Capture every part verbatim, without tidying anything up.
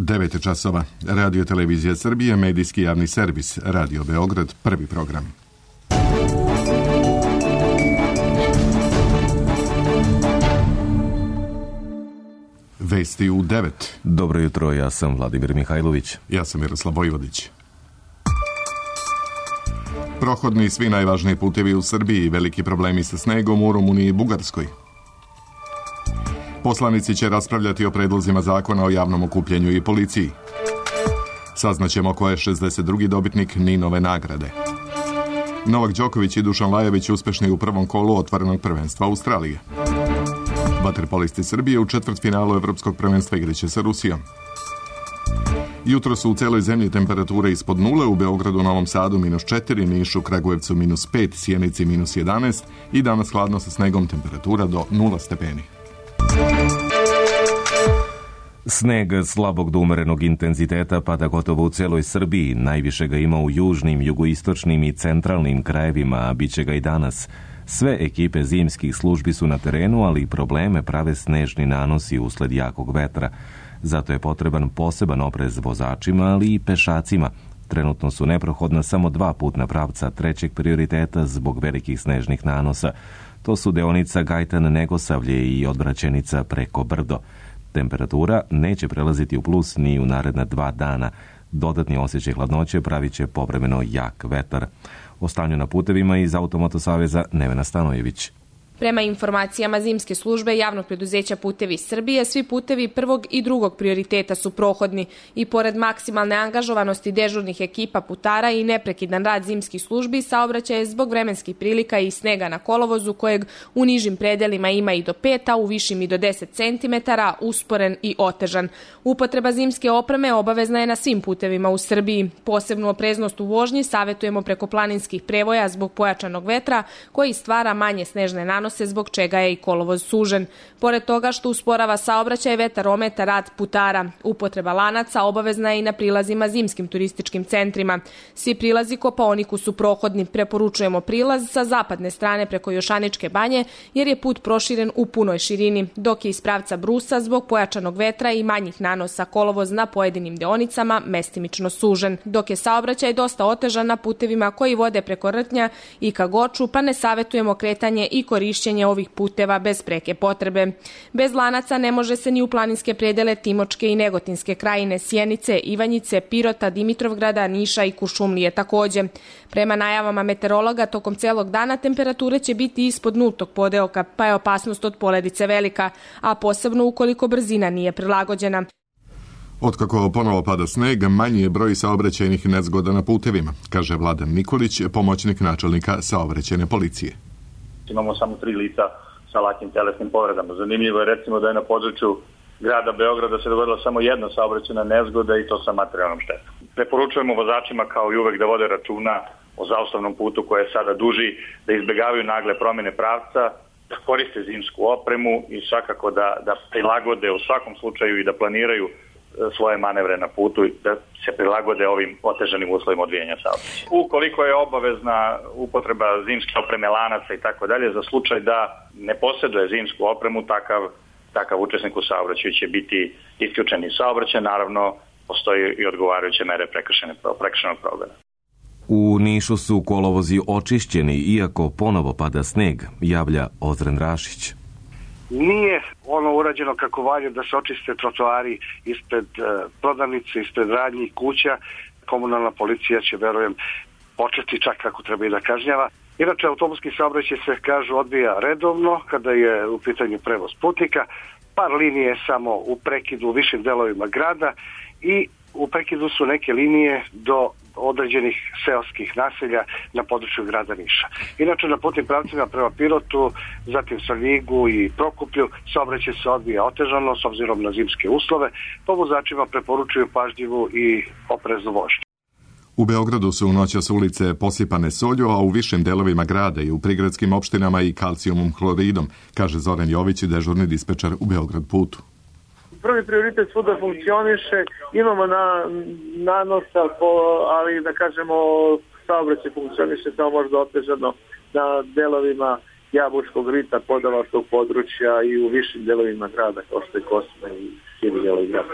devet časova. Radio Televizija Srbije, medijski javni servis, Radio Beograd, prvi program. Vesti u devet. Dobro jutro, ja sam Vladimir Mihajlović. Ja sam Miroslav Vojvodić. Prohodni svi najvažniji putevi u Srbiji, veliki problemi sa snegom u Rumuniji i Bugarskoj. Poslanici će raspravljati o predlozima zakona o javnom okupljenju i policiji. Saznaćemo ko je šezdeset drugi dobitnik Ninove nagrade. Novak Đoković i Dušan Lajović uspešni u prvom kolu otvorenog prvenstva Australije. Vaterpolisti Srbije u četvrtfinalu Evropskog prvenstva igraće sa Rusijom. Jutro su u celoj zemlji temperature ispod nule, u Beogradu, Novom Sadu minus četiri, Nišu, Kragujevcu minus pet, Sjenici minus jedanaest i danas hladno sa snegom, temperatura do nula stepeni. Sneg slabog do umerenog intenziteta pada gotovo u celoj Srbiji. Najviše ga ima u južnim, jugoistočnim i centralnim krajevima, a bit će ga i danas. Sve ekipe zimskih službi su na terenu, ali probleme prave snežni nanosi usled jakog vetra. Zato je potreban poseban oprez vozačima, ali i pešacima. Trenutno su neprohodna samo dva putna pravca trećeg prioriteta zbog velikih snežnih nanosa. To su deonica Gajtan-Negosavlje i odvraćenica preko Brdo. Temperatura neće prelaziti u plus ni u naredna dva dana. Dodatni osjećaj hladnoće pravit će povremeno jak vetar. O stanju na putevima iz Automoto saveza Nevena Stanojević. Prema informacijama zimske službe javnog preduzeća Putevi Srbije, svi putevi prvog i drugog prioriteta su prohodni i pored maksimalne angažovanosti dežurnih ekipa putara i neprekidan rad zimskih službi, saobraćaj je zbog vremenskih prilika i snega na kolovozu kojeg u nižim predelima ima i do pet, a u višim i do deset centimetara, usporen i otežan. Upotreba zimske opreme obavezna je na svim putevima u Srbiji. Posebnu opreznost u vožnji savetujemo preko planinskih prevoja zbog pojačanog vetra koji stvara manje snežne nanose, zbog čega je i kolovoz sužen. Pored toga što usporava saobraćaj, vetar ometa rad putara. Upotreba lanaca obavezna je i na prilazima zimskim turističkim centrima. Svi prilazi Kopaoniku su prohodni. Preporučujemo prilaz sa zapadne strane preko Jošaničke banje, jer je put proširen u punoj širini, dok je iz pravca Brusa zbog pojačanog vetra i manjih nanosa kolovoz na pojedinim deonicama mestimično sužen, dok je saobraćaj dosta otežan na putevima koji vode preko Rtnja i ka Goču, pa ne savetujemo kretanje i korišćenje ovih puteva bez preke potrebe. Bez lanaca ne može se ni u planinske predele Timočke i Negotinske krajine, Sjenice, Ivanjice, Pirota, Dimitrovgrada, Niša i Kuršumlije takođe. Prema najavama meteorologa, tokom celog dana temperature će biti ispod nultog podeoka, pa je opasnost od poledice velika, a posebno ukoliko brzina nije prilagođena. Otkako ponovo pada sneg, manji je broj saobraćajnih nezgoda na putevima, kaže Vladan Nikolić, pomoćnik načelnika saobraćajne policije. Imamo samo tri lica sa lakim telesnim povredama. Zanimljivo je recimo da je na području grada Beograda se dogodila samo jedna saobraćajna nezgoda i to sa materijalnom štetom. Preporučujemo vozačima kao i uvek da vode računa o zaustavnom putu koji je sada duži, da izbegavaju nagle promjene pravca, da koriste zimsku opremu i svakako da, da prilagode u svakom slučaju i da planiraju svoje manevre na putu i da se prilagode ovim otežanim uslovima odvijanja saobraćaja. Ukoliko je obavezna upotreba zimske opreme, lanaca i tako dalje, za slučaj da ne posjeduje zimsku opremu, takav, takav učesnik u saobraćaju će biti isključen iz saobraćaja. Naravno, postoji i odgovarajuće mere prekršajnog progona. U Nišu su kolovozi očišćeni, iako ponovo pada sneg, javlja Ozren Rašić. Nije ono urađeno kako valja da se očiste trotoari ispred e, prodavnice, ispred radnjih kuća. Komunalna policija će, verujem, početi čak kako treba i da kažnjava. Inače, autobuski saobraćaj se, kažu, odvija redovno kada je u pitanju prevoz putnika. Par linije samo u prekidu u višim delovima grada i u prekidu su neke linije do određenih seoskih naselja na području grada Niša. Inače, na putnim pravcima prema Pirotu, zatim Svrljigu i Prokuplju, saobraćaj se odvija otežano s obzirom na zimske uslove, pa vozačima preporučuju pažljivu i opreznu vožnju. U Beogradu su u noćas ulice posipane solju, a u višim delovima grada i u prigradskim opštinama i kalcijumom hloridom, kaže Zoran Jović, dežurni dispečar u Beograd putu. Prvi prioritet svuda funkcioniše, imamo na, nanosa, po, ali da kažemo saobraćaj funkcioniše samo možda otežano na delovima Jabučkog rita, Podavačkog područja i u višim delovima grada, kao što je Kosma i širi delovi grada.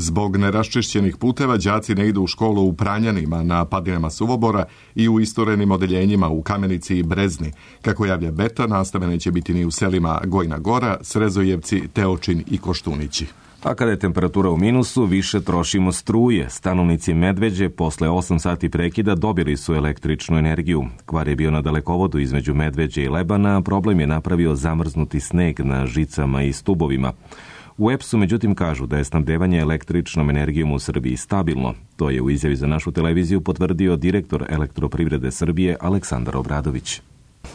Zbog neraščišćenih puteva đaci ne idu u školu u Pranjanima, na padinama Suvobora i u isturenim odeljenjima u Kamenici i Brezni. Kako javlja Beta, nastave neće biti ni u selima Gojna Gora, Srezojevci, Teočin i Koštunići. A kada je temperatura u minusu, više trošimo struje. Stanovnici Medveđe posle osam sati prekida dobili su električnu energiju. Kvar je bio na dalekovodu između Medveđe i Lebana, a problem je napravio zamrznuti sneg na žicama i stubovima. U E P S-u međutim kažu da je snabdevanje električnom energijom u Srbiji stabilno. To je u izjavi za našu televiziju potvrdio direktor Elektroprivrede Srbije Aleksandar Obradović.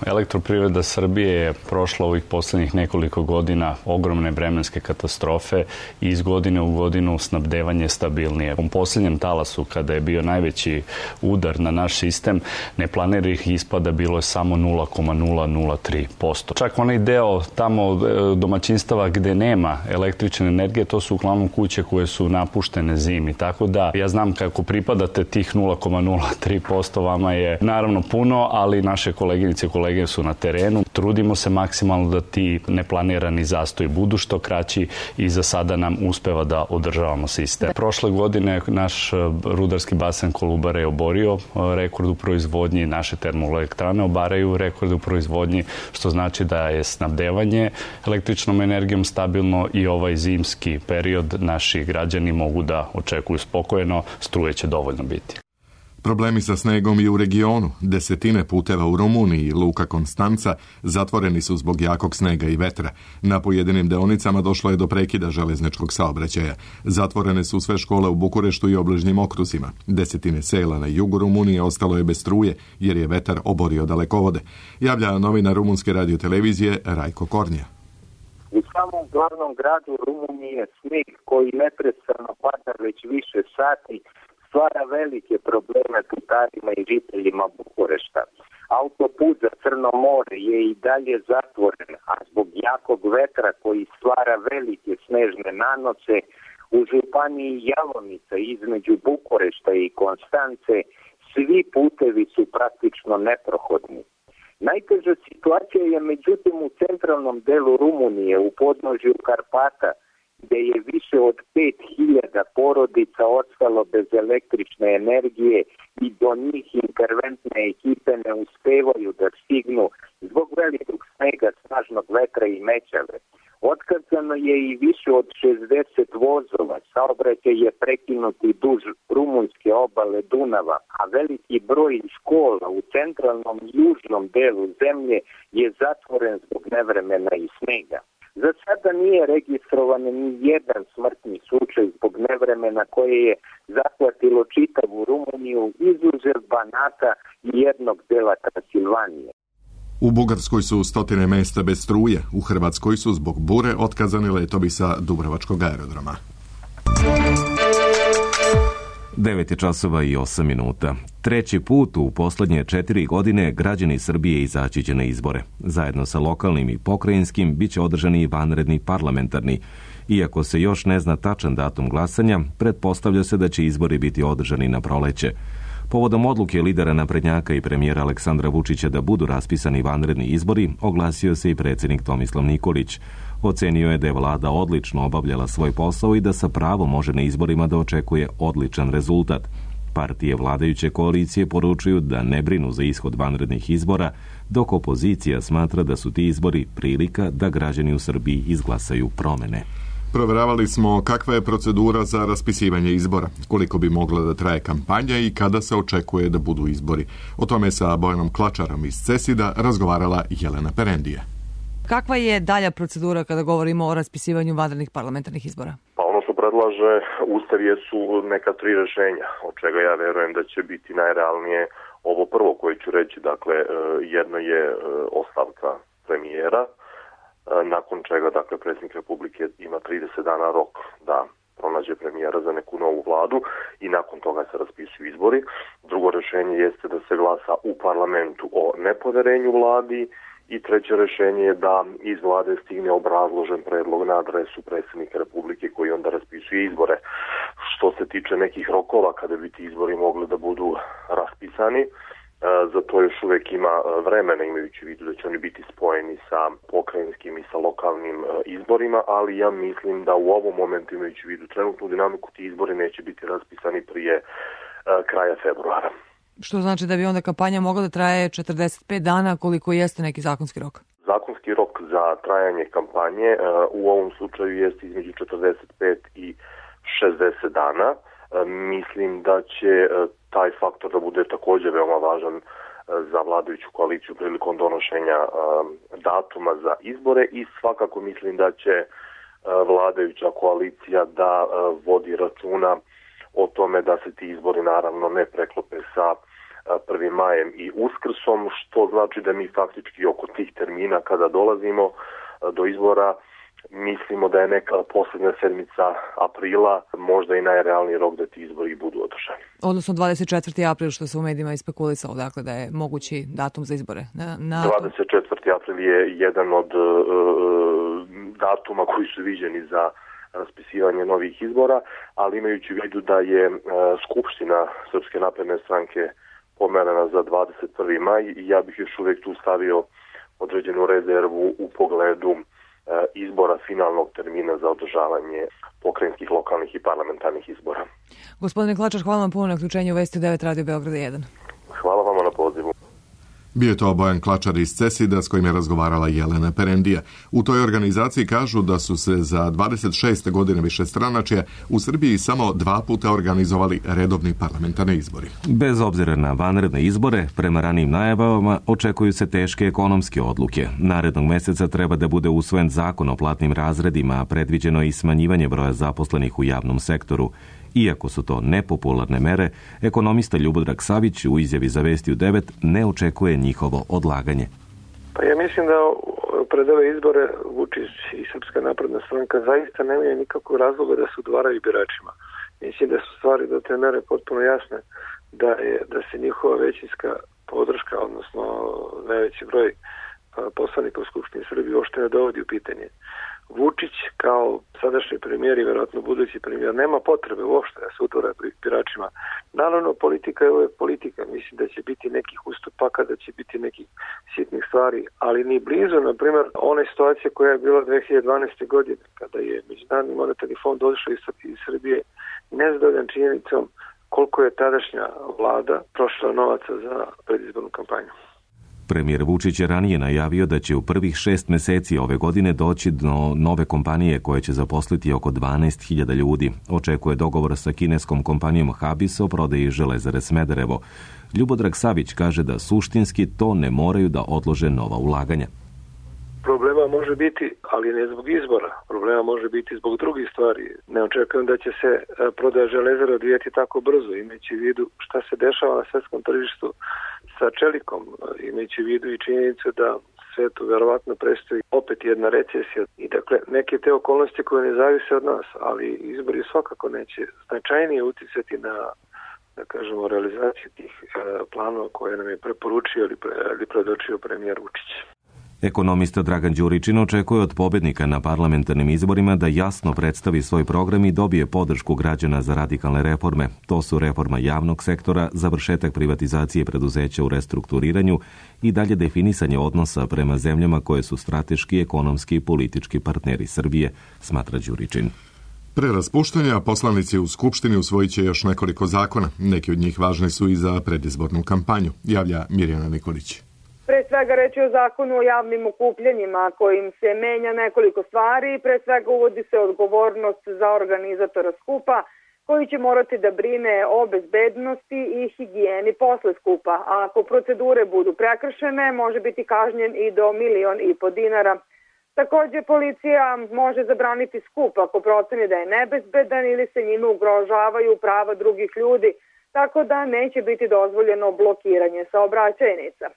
Elektroprivreda Srbije je prošla ovih poslednjih nekoliko godina ogromne vremenske katastrofe i iz godine u godinu snabdevanje stabilnije. U posljednjem talasu, kada je bio najveći udar na naš sistem, neplaniranih ispada bilo je samo nula zarez nula nula tri posto. Čak onaj deo tamo domaćinstava gde nema električne energije, to su uglavnom kuće koje su napuštene zimi. Tako da ja znam kako pripadate tih nula zarez nula tri posto, vama je naravno puno, ali naše koleginice kolege su na terenu. Trudimo se maksimalno da ti neplanirani zastoji budu što kraći i za sada nam uspeva da održavamo sistem. Prošle godine naš rudarski basen Kolubara je oborio rekord u proizvodnji, naše termoelektrane obaraju rekord u proizvodnji, što znači da je snabdevanje električnom energijom stabilno i ovaj zimski period naši građani mogu da očekuju spokojno, struje će dovoljno biti. Problemi sa snegom i u regionu. Desetine puteva u Rumuniji i Luka Konstanca zatvoreni su zbog jakog snega i vetra. Na pojedinim deonicama došlo je do prekida železničkog saobraćaja. Zatvorene su sve škole u Bukureštu i obližnjim okruzima. Desetine sela na jugu Rumunije ostalo je bez struje jer je vetar oborio dalekovode. Javlja novinar rumunske radiotelevizije Rajko Kornja. U samom glavnom gradu Rumunije sneg koji neprestano pada već više sati stvara velike probleme putarima i žiteljima Bukurešta. Autoput za Crno more je i dalje zatvoren, a zbog jakog vetra koji stvara velike snežne nanose, u županiji Jalonica između Bukurešta i Konstance svi putevi su praktično neprohodni. Najteža situacija je međutim u centralnom delu Rumunije, u podnožju Karpata, gde je više od pet hiljada porodica ostalo bez električne energije i do njih interventne ekipe ne uspevaju da stignu zbog velikog snega, snažnog vetra i mećave. Otkazano je i više od šezdeset vozova, saobraćaj je prekinuti duž rumunjske obale Dunava, a veliki broj škola u centralnom i južnom delu zemlje je zatvoren zbog nevremena i snega. Za sada nije registrovan ni jedan smrtni slučaj zbog nevremena koje je zahvatilo čitavu Rumuniju, izuzev Banata i jednog dela Transilvanije. U Bugarskoj su stotine mesta bez struje, u Hrvatskoj su zbog bure otkazani letovi sa Dubrovačkog aerodroma. devet je časova i osam minuta. Treći put u poslednje četiri godine građani Srbije izaći će na izbore. Zajedno sa lokalnim i pokrajinskim bit će održani i vanredni parlamentarni. Iako se još ne zna tačan datum glasanja, pretpostavlja se da će izbori biti održani na proleće. Povodom odluke lidera naprednjaka i premijera Aleksandra Vučića da budu raspisani vanredni izbori, oglasio se i predsjednik Tomislav Nikolić. Ocenio je da je vlada odlično obavljala svoj posao i da sa pravom može na izborima da očekuje odličan rezultat. Partije vladajuće koalicije poručuju da ne brinu za ishod vanrednih izbora, dok opozicija smatra da su ti izbori prilika da građani u Srbiji izglasaju promene. Proveravali smo kakva je procedura za raspisivanje izbora, koliko bi mogla da traje kampanja i kada se očekuje da budu izbori. O tome sa Bojanom Klačarom iz Cesida razgovarala Jelena Perendije. Kakva je dalja procedura kada govorimo o raspisivanju vanrednih parlamentarnih izbora? Pa ono što predlaže Ustav jesu neka tri rešenja, od čega ja verujem da će biti najrealnije ovo prvo koje ću reći. Dakle, jedno je ostavka premijera, nakon čega, dakle, predsjednik Republike ima trideset dana rok da pronađe premijera za neku novu vladu i nakon toga se raspisuju izbori. Drugo rešenje jeste da se glasa u parlamentu o nepoverenju vladi i treće rešenje je da iz vlade stigne obrazložen predlog na adresu predsjednika Republike koji onda raspisuje izbore. Što se tiče nekih rokova kada bi ti izbori mogli da budu raspisani, Za to još uvijek ima vremena, imajući u vidu da će oni biti spojeni sa pokrajinskim i sa lokalnim izborima, ali ja mislim da u ovom momentu, imajući u vidu trenutnu dinamiku, ti izbori neće biti raspisani prije kraja februara. Što znači da bi onda kampanja mogla da traje četrdeset pet dana, koliko jeste neki zakonski rok? Zakonski rok za trajanje kampanje u ovom slučaju jeste između četrdeset pet i šezdeset dana. Mislim da će taj faktor da bude također veoma važan za vladajuću koaliciju prilikom donošenja datuma za izbore i svakako mislim da će vladajuća koalicija da vodi računa o tome da se ti izbori naravno ne preklope sa prvim majem i Uskrsom, što znači da mi faktički oko tih termina kada dolazimo do izbora mislimo da je neka posljednja sedmica aprila možda i najrealniji rok da ti izbori budu održani. Odnosno dvadeset četvrti april, što se u medijima ispekulisalo, dakle da je mogući datum za izbore. Na, na... dvadeset četvrti april je jedan od uh, datuma koji su viđeni za raspisivanje novih izbora, ali imajući u vidu da je uh, Skupština Srpske napredne stranke pomerena za dvadeset prvi maj i ja bih još uvijek tu stavio određenu rezervu u pogledu uh, izbora finalnog termina za održavanje pokrajinskih, lokalnih i parlamentarnih izbora. Gospodine Klačar, hvala vam puno na uključenju u Vesti devet Radio Beograda jedan. Hvala vama na pozivu. Bio je to Bojan Klačar iz Cesida s kojim je razgovarala Jelena Perendija. U toj organizaciji kažu da su se za dvadeset šeste godine višestranačja u Srbiji samo dva puta organizovali redovni parlamentarni izbori. Bez obzira na vanredne izbore, prema ranijim najavama očekuju se teške ekonomske odluke. Narednog meseca treba da bude usvojen zakon o platnim razredima, a predviđeno je i smanjivanje broja zaposlenih u javnom sektoru. Iako su to nepopularne mere, ekonomista Ljubodrag Savić u izjavi za Vesti u devet ne očekuje njihovo odlaganje. Pa ja mislim da pred ove izbore Vučić i Srpska napredna stranka zaista nemaju nikakvog razloga da se udvaraju biračima. Mislim da su stvari do te mere potpuno jasne, da, je, da se njihova većinska podrška, odnosno najveći broj poslanika u Skupštini Srbije uopšte ne dovodi u pitanje. Vučić kao sadašnji premijer i vjerojatno budući premijer nema potrebe uopšte da se udvara biračima. Naravno, politika je uvijek politika. Mislim da će biti nekih ustupaka, da će biti nekih sitnih stvari, ali ni blizu, na primjer, one situacije koja je bila dve hiljade dvanaeste. godine, kada je Međunarodni monetarni fond došao iz Srbije nezadovoljan činjenicom koliko je tadašnja vlada trošila novaca za predizbornu kampanju. Premijer Vučić je ranije najavio da će u prvih šest meseci ove godine doći do nove kompanije koje će zaposliti oko dvanaest hiljada ljudi. Očekuje dogovor sa kineskom kompanijom Habis o prodaji Železare Smederevo. Ljubodrag Savić kaže da suštinski to ne moraju da odlože nova ulaganja. Problema može biti, ali ne zbog izbora. Problema može biti zbog drugih stvari. Ne očekujem da će se prodaja Železara odvijeti tako brzo, imajući u vidu šta se dešava na svetskom tržištu sa čelikom, imajući u vidu i činjenicu da svetu verovatno predstoji opet jedna recesija. I dakle, neke te okolnosti koje ne zavise od nas, ali izbori svakako neće značajnije uticati na, da kažemo, realizaciju tih e, planova koje nam je preporučio ili, pre, ili predočio premijer Vučić. Ekonomista Dragan Đuričin očekuje od pobednika na parlamentarnim izborima da jasno predstavi svoj program i dobije podršku građana za radikalne reforme. To su reforma javnog sektora, završetak privatizacije preduzeća u restrukturiranju i dalje definisanje odnosa prema zemljama koje su strateški, ekonomski i politički partneri Srbije, smatra Đuričin. Pre raspuštanja poslanici u Skupštini usvojit će još nekoliko zakona. Neki od njih važni su i za predizbornu kampanju, javlja Mirjana Nikolić. Pre svega reći o zakonu o javnim okupljanjima kojim se menja nekoliko stvari. Pre svega uvodi se odgovornost za organizatora skupa koji će morati da brine o bezbednosti i higijeni posle skupa. A ako procedure budu prekršene, može biti kažnjen i do milion i po dinara. Također policija može zabraniti skup ako proceni da je nebezbedan ili se njime ugrožavaju prava drugih ljudi, tako da neće biti dozvoljeno blokiranje saobraćajnica.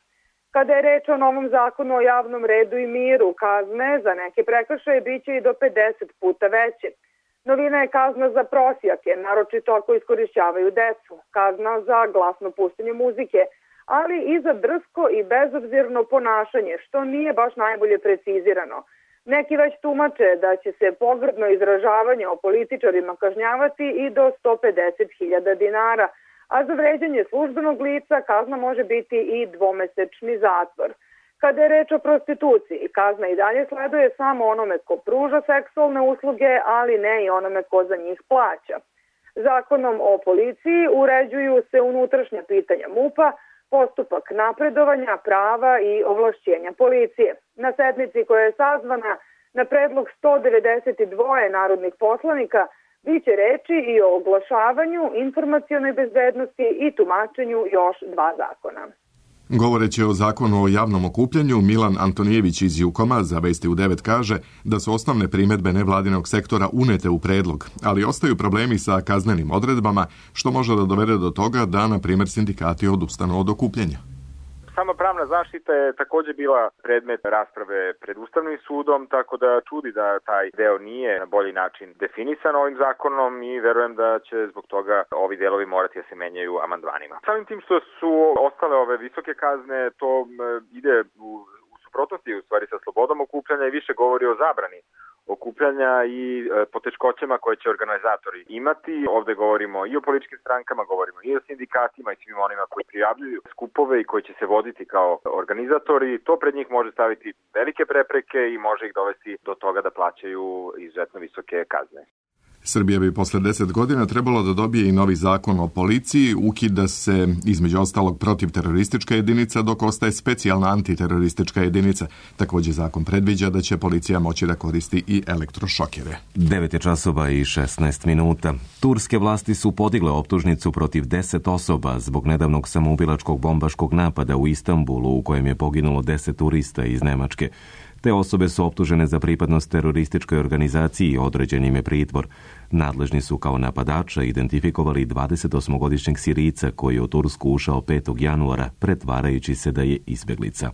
Kada je reč o novom zakonu o javnom redu i miru, kazne za neke prekršaje biće i do pedeset puta veće. Novina je kazna za prosjake, naročito ako iskorišćavaju decu, kazna za glasno puštenje muzike, ali i za drsko i bezobzirno ponašanje, što nije baš najbolje precizirano. Neki već tumače da će se pogrdno izražavanje o političarima kažnjavati i do sto pedeset hiljada dinara, a za vređanje službenog lica kazna može biti i dvomesečni zatvor. Kada je reč o prostituciji, kazna i dalje sleduje samo onome ko pruža seksualne usluge, ali ne i onome ko za njih plaća. Zakonom o policiji uređuju se unutrašnja pitanja MUP-a, postupak napredovanja, prava i ovlašćenja policije. Na sednici koja je sazvana na predlog sto devedeset dva narodnih poslanika biće reči i o oglašavanju, informacionoj bezbednosti i tumačenju još dva zakona. Govoreći o zakonu o javnom okupljanju, Milan Antonijević iz Jukoma za Vesti u devet kaže da su osnovne primedbe nevladinog sektora unete u predlog, ali ostaju problemi sa kaznenim odredbama, što može da dovede do toga da, na primjer, sindikati odustanu od okupljanja. Sama pravna zaštita je također bila predmet rasprave pred Ustavnim sudom, tako da čudi da taj deo nije na bolji način definisan ovim zakonom i verujem da će zbog toga ovi delovi morati da se menjaju amandmanima. Samim tim što su ostale ove visoke kazne, to ide u, u suprotnosti u stvari sa slobodom okupljanja i više govori o zabrani okupljanja i e, poteškoćama koje će organizatori imati. Ovde govorimo i o političkim strankama, govorimo i o sindikatima i svim onima koji prijavljuju skupove i koji će se voditi kao organizatori. To pred njih može staviti velike prepreke i može ih dovesti do toga da plaćaju izuzetno visoke kazne. Srbija bi posle deset godina trebalo da dobije i novi zakon o policiji, ukida se između ostalog protivteroristička jedinica, dok ostaje specijalna antiteroristička jedinica. Također zakon predviđa da će policija moći da koristi i elektrošokere. devet je časova i šesnaest minuta. Turske vlasti su podigle optužnicu protiv deset osoba zbog nedavnog samoubilačkog bombaškog napada u Istanbulu u kojem je poginulo deset turista iz Nemačke. Te osobe su optužene za pripadnost terorističkoj organizaciji i određen im je pritvor. Nadležni su kao napadača identifikovali dvadesetosmogodišnjeg Sirijca koji je u Tursku ušao petog januara pretvarajući se da je izbjeglica.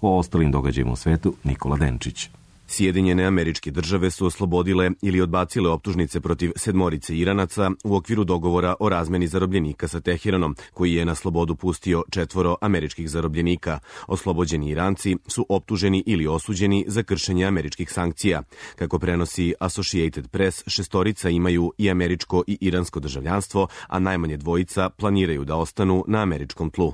O ostalim događajima u svetu Nikola Denčić. Sjedinjene Američke Države su oslobodile ili odbacile optužnice protiv sedmorice Iranaca u okviru dogovora o razmeni zarobljenika sa Teheranom, koji je na slobodu pustio četvoro američkih zarobljenika. Oslobođeni Iranci su optuženi ili osuđeni za kršenje američkih sankcija. Kako prenosi Associated Press, šestorica imaju i američko i iransko državljanstvo, a najmanje dvojica planiraju da ostanu na američkom tlu.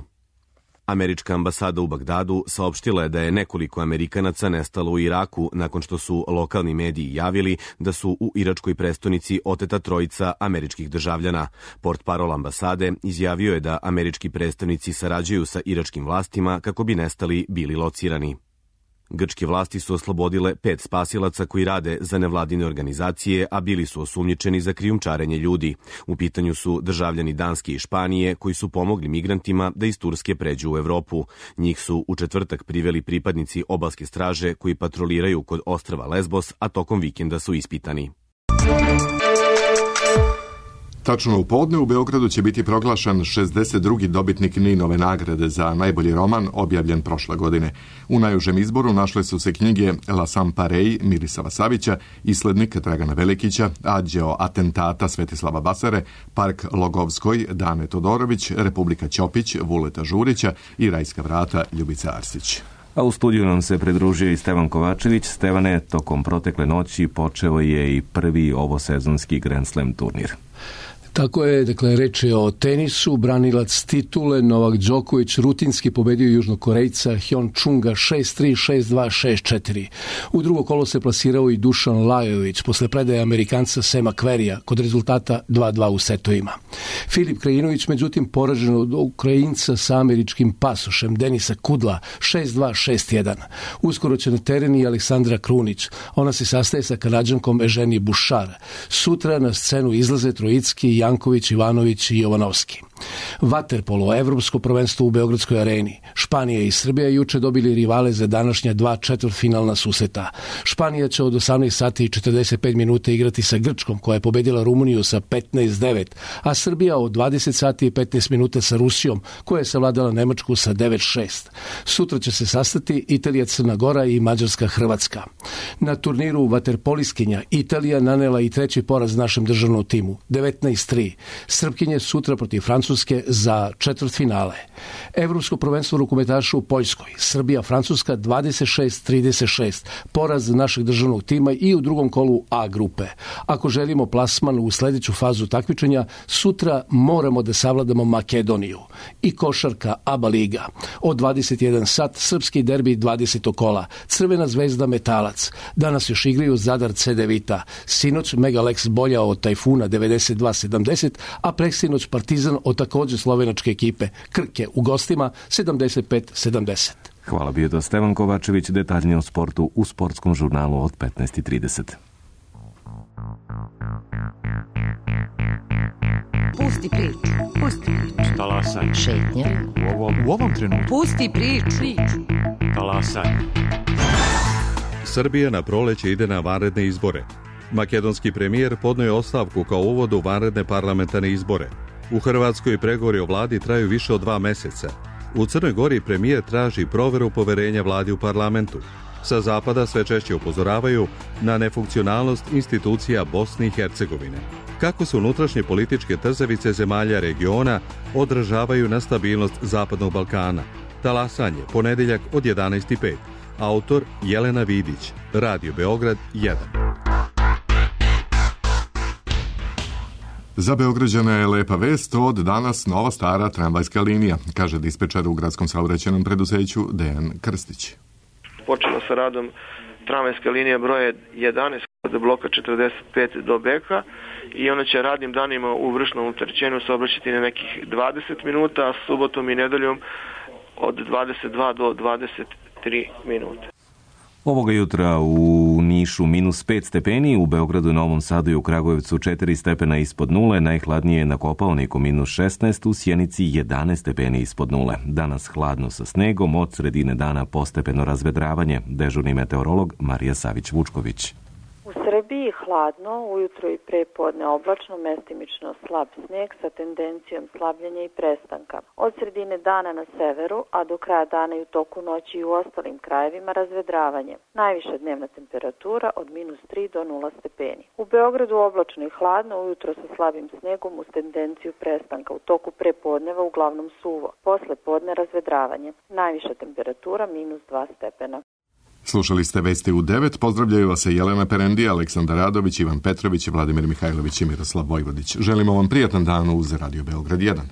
Američka ambasada u Bagdadu saopštila je da je nekoliko Amerikanaca nestalo u Iraku nakon što su lokalni mediji javili da su u iračkoj prestonici oteta trojica američkih državljana. Portparol ambasade izjavio je da američki predstavnici sarađuju sa iračkim vlastima kako bi nestali bili locirani. Grčke vlasti su oslobodile pet spasilaca koji rade za nevladine organizacije, a bili su osumnjičeni za krijumčarenje ljudi. U pitanju su državljani Danske i Španije koji su pomogli migrantima da iz Turske pređu u Evropu. Njih su u četvrtak priveli pripadnici obalske straže koji patroliraju kod ostrva Lesbos, a tokom vikenda su ispitani. Tačno u podne u Beogradu će biti proglašen šezdeset drugi dobitnik Ninove nagrade za najbolji roman objavljen prošle godine. U najužem izboru našle su se knjige La Samparej Mirisava Savića, Islednik Dragana Velikića, Ađeo atentata Svetislava Basare, Park Logovskoj Dane Todorović, Republika Ćopić Vuleta Žurića i Rajska vrata Ljubica Arsić. A u studiju nam se pridružio i Stevan Kovačević. Stevane, tokom protekle noći počeo je i prvi ovosezonski Grand Slam turnir. Tako je, dakle, reč je o tenisu. Branilac titule Novak Đoković rutinski pobedio Južnokorejca Hyon Chunga šest tri, šest dva, šest četiri. U drugo kolo se plasirao i Dušan Lajović posle predaje Amerikanca Sema Kverija kod rezultata dva dva u setovima. Filip Krajinović, međutim, poražen od Ukrajinca sa američkim pasošem Denisa Kudla šest dva, šest jedan. Uskoro će na teren i Aleksandra Krunić. Ona se sastaje sa Kanadžankom Eženije Bušar. Sutra na scenu izlaze Trojicki, Janković, Ivanović i Jovanovski. Vaterpolo, evropsko prvenstvo u Beogradskoj areni. Španija i Srbija juče dobili rivale za današnja dva četvrtfinalna susreta. Španija će od osamnaest sati i četrdeset pet minuta igrati sa Grčkom, koja je pobedila Rumuniju sa petnaest devet, a Srbija od dvadeset sati i petnaest minuta sa Rusijom, koja je savladala Nemačku sa devet šest. Sutra će se sastati Italija, Crna Gora i Mađarska, Hrvatska. Na turniru vaterpoliskinja Italija nanela i treći poraz našem državnom timu, devetnaest tri. Srpkinje sutra protiv Francuske Francuske za četvrtfinale. Evropsko prvenstvo rukometaša u Poljskoj, Srbija-Francuska dvadeset šest trideset šest, poraz našeg državnog tima i u drugom kolu A grupe. Ako želimo plasman u sljedeću fazu takmičenja, sutra moramo da savladamo Makedoniju. I košarka ABA liga. Od dvadeset jedan sat, srpski derbi dvadesetog kola, Crvena zvezda Metalac. Danas još igraju Zadar Cedevita. Sinoć Megalex bolja od Tajfuna devedeset dva sedamdeset, a preksinoć Partizan od također slovenačke ekipe Krke u gostima sedamdeset pet sedamdeset. Hvala, bio to Stevan Kovačević, detaljnije o sportu u sportskom žurnalu od petnaest trideset. Pusti priču. Pusti priču. Talasaj. Šetnja. U ovom, u ovom trenutku. Pusti priču. Talasaj. Srbija na proleće ide na vanredne izbore. Makedonski premijer podnoje ostavku kao uvod u vanredne parlamentarne izbore. U Hrvatskoj pregovori o vladi traju više od dva meseca. U Crnoj Gori premijer traži proveru poverenja vladi u parlamentu. Sa zapada sve češće upozoravaju na nefunkcionalnost institucija Bosne i Hercegovine. Kako se unutrašnje političke trzavice zemalja regiona odražavaju na stabilnost Zapadnog Balkana. Talasanje, ponedjeljak od jedanaest i pet. Autor Jelena Vidić, Radio Beograd jedan. Za Beograđana je lepa vest, od danas nova stara tramvajska linija, kaže dispečar u gradskom saobraćajnom preduzeću Dejan Krstić. Počela sa radom tramvajska linija broje jedanaest od bloka četrdeset pet do Beka i ona će radnim danima u vršnom opterećenju saobraćati na nekih dvadeset minuta, a subotom i nedeljom od dvadeset dva do dvadeset tri minuta. Ovoga jutra u Nišu minus pet stepeni, u Beogradu, Novom Sadu i u Kragujevcu četiri stepena ispod nule, najhladnije je na Kopaoniku minus šesnaest, u Sjenici jedanaest stepeni ispod nule. Danas hladno sa snegom, od sredine dana postepeno razvedravanje, dežurni meteorolog Marija Savić-Vučković. U Srbiji hladno, ujutro i prepodne oblačno, mestimično slab sneg sa tendencijom slabljenja i prestanka. Od sredine dana na severu, a do kraja dana i u toku noći i u ostalim krajevima razvedravanje. Najviša dnevna temperatura od minus tri do nula stepeni. U Beogradu oblačno i hladno, ujutro sa slabim snegom uz tendenciju prestanka. U toku prepodneva uglavnom suvo. Posle podne razvedravanje. Najviša temperatura minus dva stepena. Slušali ste Vesti u devet, pozdravljaju vas se Jelena Perendija, Aleksandar Radović, Ivan Petrović, Vladimir Mihajlović i Miroslav Vojvodić. Želimo vam prijatan dan uz Radio Beograd jedan.